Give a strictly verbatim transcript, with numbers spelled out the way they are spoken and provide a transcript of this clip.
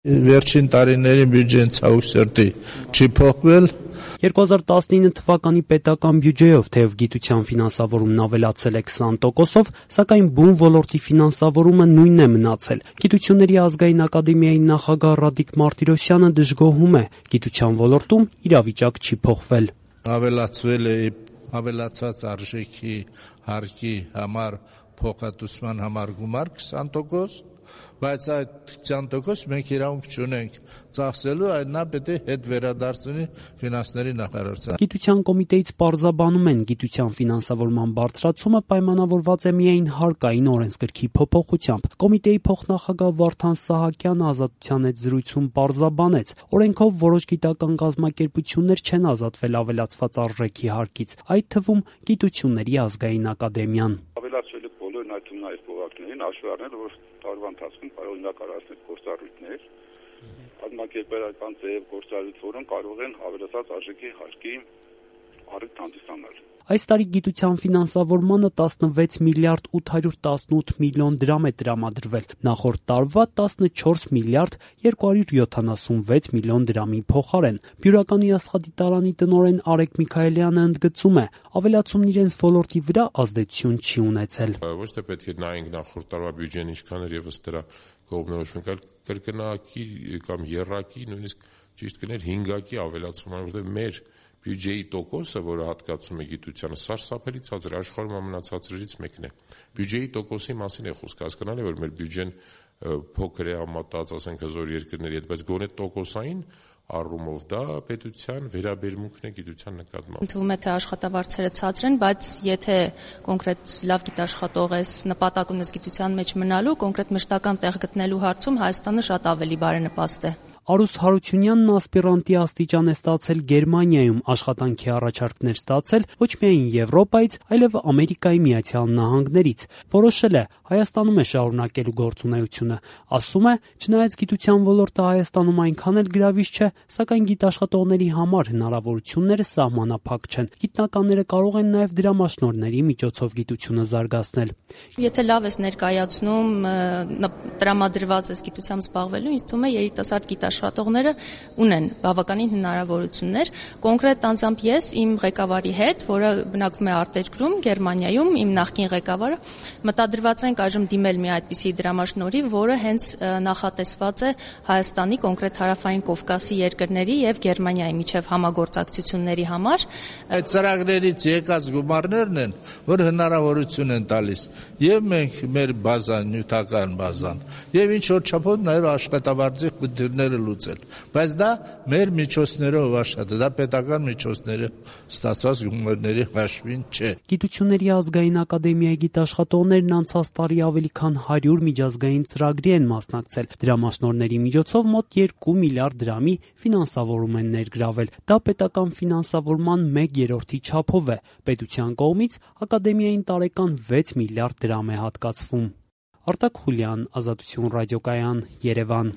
Վերջին տարիների բյուջեն ցավոք սրտի չի փոխվել։ երկու հազար տասնինը թվականի պետական բյուջեով թեև գիտության ֆինանսավորումն ավելացել է քսան տոկոսով, սակայն բուն ոլորտի ֆինանսավորումը նույնն է մնացել։ Գիտությունների ազգային ակադեմիայի նախագահ Ռադիկ Մարտիրոսյանը դժգոհում է, գիտության ոլորտում իրավիճակ չի փոխվել։ Ավելացվել է ավելացած արժեքի հարկի համար փոխհատուցման համար գումար քսան տոկոս, բայց այդ քսան տոկոս մենք իրավունք չունենք ծախսելու, այդ նա պետք է հետ վերադարձնի ֆինանսների նախարարության։ Գիտության կոմիտեից պարզաբանում են, գիտության ֆինանսավորման բարձրացումը պայմանավորված է միայն հարկային օրենսգրքի փոփոխությամբ։ Կոմիտեի փոխնախագահ Վարդան Սահակյանը Ազատության հետ զրույցում պարզաբանեց, օրենքով որոշ գիտական կազմակերպություններ չեն ազատվել ավելացված արժեքի հարկից, այդ թվում Գիտությունների ազգային ակադեմիան։ Ավելացվել է բոլոր նայում նաև փողակներին, հաշվի առնել, որ տարվա ընթացքում կարող են կառուցել գործառույթներ, կազմակերպական ձև գործառույթ, որոնք կարող են ավելացած արժեքի հարկի առիթ հանդիսանալ։ Այս տարի գիտության ֆինանսավորմանը տասնվեց միլիարդ ութ հարյուր տասնութ միլիոն դրամ է տրամադրվել, նախորդ տարվա տասնչորս միլիարդ երկու հարյուր յոթանասունվեց միլիոն դրամի փոխարեն։ Բյուրականի աստղադիտարանի տնօրեն Արեգ Միքայելյանը ընդգծում է, ավելացումն իրենց ոլորտի վրա ազդեցություն չի ունեցել։ Ոչ թե պետք է նայենք նախորդ տարվա բյուջեն ինչքան էր եւ ըստ դրա կողմնորոշվենք, այլ կրկնակի կամ եռակի, նույնիսկ ճիշտ կներ հինգակի ավելացում, որովհետեւ մեր բյուջեի տոկոսը, որը հատկացում է գիտությանը, սարսափելի ցածր է, աշխարհում ամենացածրերից մեկն է։ Բյուջեի տոկոսի մասին է խոսքը, հասկանալի է, որ մեր բյուջեն փոքր է համատած, ասենք հզոր երկրների հետ, բայց գոնե տոկոսային առումով դա պետության վերաբերմունքն է գիտության նկատմամբ։ Թվում է թե աշխատավարձերը ցածր են, բայց եթե կոնկրետ լավ գիտաշխատող ես, նպատակ ունես գիտության մեջ մնալու, կոնկրետ մշտական տեղ գտնելու հարցում Հայաստանը շատ ավելի բարենպաստ է։ Արուս Հարությունյանն ասպիրանտի աստիճան է ստացել Գերմանիայում, աշխատանքի առաջարկներ ստացել ոչ միայն Եվրոպայից, այլև Ամերիկայի Միացյալ Նահանգներից։ Որոշել է Հայաստանում է շարունակելու գործունեությունը։ Ասում է, չնայած գիտության ոլորտը Հայաստանում այնքան էլ գրավիչ չէ, սակայն գիտաշխատողների համար հնարավորությունները սահմանափակ չեն։ Գիտնականները կարող են նաև դրամաշնորհների միջոցով գիտությունը զարգացնել։ Եթե լավ ես ներկայացնում, տրամադրված ես գիտությամբ զբաղվելու, ինձ թվում է երիտասարդ գիտաշխատողները ունեն բավականին հնարավորություններ։ Կոնկրետ անձամբ ես իմ ղեկավարի հետ, որը բնակվում է արտերկրում, Գերմանիայում, իմ նախկին ղեկավարը, մտադրված ենք այժմ դիմել մի այդպիսի դրամաշնորհի, որը հենց նախատեսված է Հայաստանի, կոնկրետ Հարավային Կովկասի երկրների եւ Գերմանիայի միջև համագործակցությունների համար։ Այդ ծրագրերից եկած գումարներն են, որ հնարավորություն են տալիս եւ մենք մեր բազան, նյութական բազան, եւ ինչ որ չափով նաեւ աշխատավարձի խնդիրները լուծել, բայց դա մեր միջոցներով աշխատը, դա պետական միջոցները ստացած գումարների հաշվին չէ։ Գիտությունների ազգային ակադեմիայի գիտաշխատողներն անցած տարի ավելի քան հարյուր միջազգային ծրագրի են մասնակցել։ Դրամաշնորհների միջոցով մոտ երկու միլիարդ դրամի ֆինանսավորում են ներգրավել։ Դա պետական ֆինանսավորման մեկ երրորդի չափով է։ Պետության կողմից ակադեմիային տարեկան վեց միլիարդ դրամ է հատկացվում։ Արտակ Խուլյան, Ազատություն ռադիոկայան, Երևան։